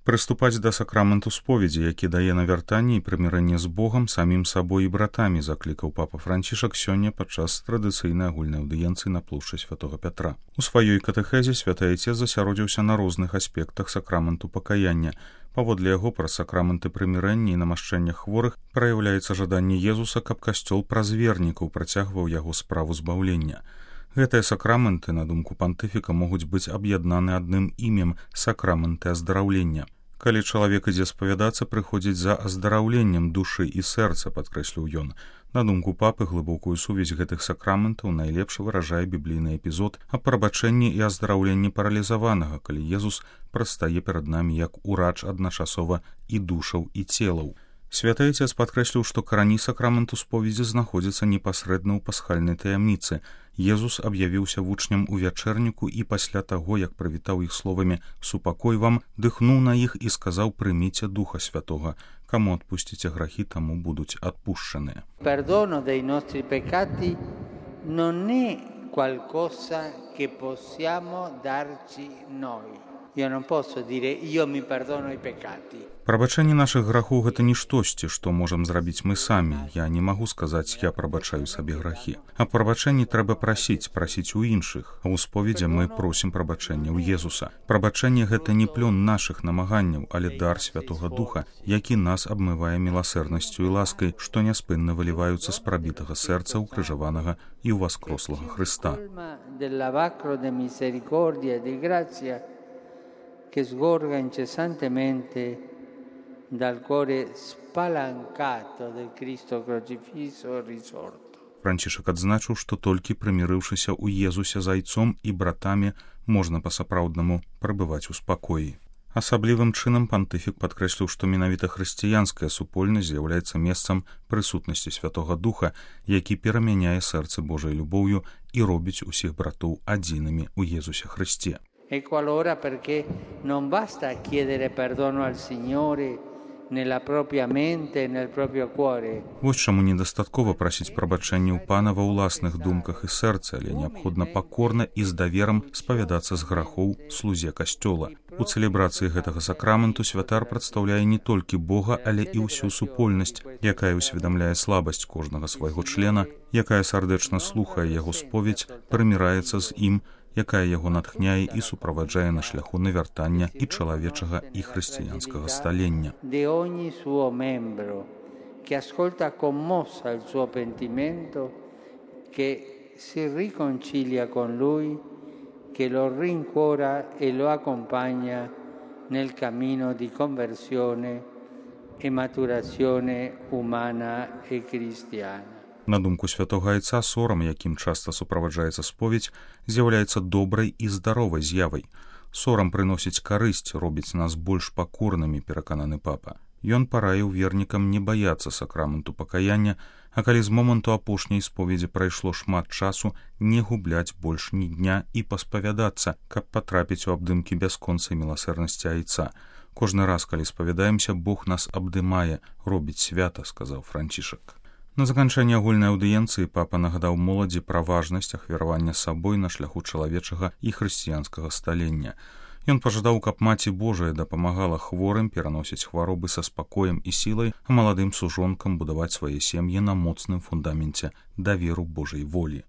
Прыступаць да сакраменту споведзі, які дае навяртанне і прымірэнне з Богам, самім сабой і братамі, заклікаў папа Францішак сёння падчас традыцыйнай агульнай аўдыенцыі на плошчы святога Пятра. У сваёй катэхезе святы айцец засяродзіўся на розных аспектах сакраменту пакаяння. Паводле яго праз сакраменты прымірэння і намашчэння хворых праяўляецца жаданне Езуса, каб касцёл праз вернікаў працягваў яго справу збаўлення. Гэтыя сакраменты, на думку пантыфіка, могуць быць аб'яднаны адным імем – сакраменты аздараўлення. Калі чалавек ідзе спавядацца, прыходзіць за аздараўленнем душы і сэрца, падкрэсліў ён. На думку папы, глыбокую сувязь гэтых сакраментаў найлепш выражае біблійны эпізод аб прабачэнні і аздараўленні паралізаванага, калі Езус прадстае перад намі як урач адначасова і душаў, і целаў. Святы айцец падкрэсліў, што карані сакраменту споведзі знаходзяцца непасрэдна ў пасхальнай таямніцы. Езус аб'явіўся вучням у вячэрніку і пасля таго, як прывітаў іх словамі «Супакой вам», дыхнуў на іх і сказаў «Прыміце Духа Святога. Каму адпусціце грахі, таму будуць адпушчаныя». Perdono dei nostri peccati non è qualcosa che possiamo darci noi. Io non posso dire io mi perdono i peccati. Прабачэнне нашых грахоў – гэта не штосьці, што можам зрабіць мы самі. Я не магу сказаць, я прабачаю сабе грахі. А прабачэнні трэба прасіць у іншых. А ў споведзі мы просім прабачэння ў Езуса. Прабачэнне – гэта не плён нашых намаганняў, але дар Святога Духа, які нас абмывае міласэрнасцю і ласкай, што няспынна выліваюцца з прабітага сэрца укрыжаванага і ўваскрослага Хрыста. Che sgorga incessantemente dal cuore spalancato del Cristo crocifisso e risorto. Францішак адзначыў, што толькі прымірыўшыся ў Езусе з айцом і братамі можна па-сапраўднаму прабываць у спакоі. Асаблівым чынам пантыфік падкрэсліў, што менавіта хрысціянская супольнасць з'яўляецца месцам прысутнасці Святога Духа, які перамяняе сэрцы Божай любоўю і робіць усіх братоў адзінымі ў Езусе Христе. Ecco allora perché non basta chiedere perdono al Signore nella propria mente e nel proprio cuore. Вось чаму недастаткова прасіць прабачэння ў Пана ва ўласных думках і сэрцы, але неабходна пакорна і з даверам спавядацца з грахоў слузе касцёла. У цэлебрацыі гэтага сакраменту святар прадстаўляе не толькі Бога, але і ўсю супольнасць, якая ўсведамляе слабасць кожнага свайго члена, якая сардэчна слухае яго споведь, прыміраецца з ім, якая яго натхняе і суправаджае на шляху навяртання і чалавечага і хрысціянскага сталення. De ogni suo membro che ascolta commossa il suo pentimento, che si riconcilia con lui, che lo rincuora e lo accompagna nel cammino di conversione e maturazione umana e cristiana. На думку святога айца, сорам, якім часта суправаджаецца споведь, з'яўляецца добрай і здаровай з'явай. Сорам прыносіць карысць, робіць нас больш пакорнымі, перакананы папа. Ён параіў вернікам не баяцца сакраменту пакаяння, а калі з моманту апошняй споведзі прайшло шмат часу, не губляць больш ні дня і паспавядацца, каб патрапіць у абдымкі бясконцай міласэрнасці айца. Кожны раз, калі спавядаемся, Бог нас абдымае, робіць свята, сказаў Францішак. На заканчэнне агульнай аўдыенцыі папа нагадаў моладзі пра важнасць ахвяравання сабой на шляху чалавечага і хрысціянскага сталення. Ён пажадаў, каб Маці Божая дапамагала хворым пераносіць хваробы са спакоем і сілай, а маладым сужонкам будаваць свае сем'і на моцным фундаменце даверу Божай волі.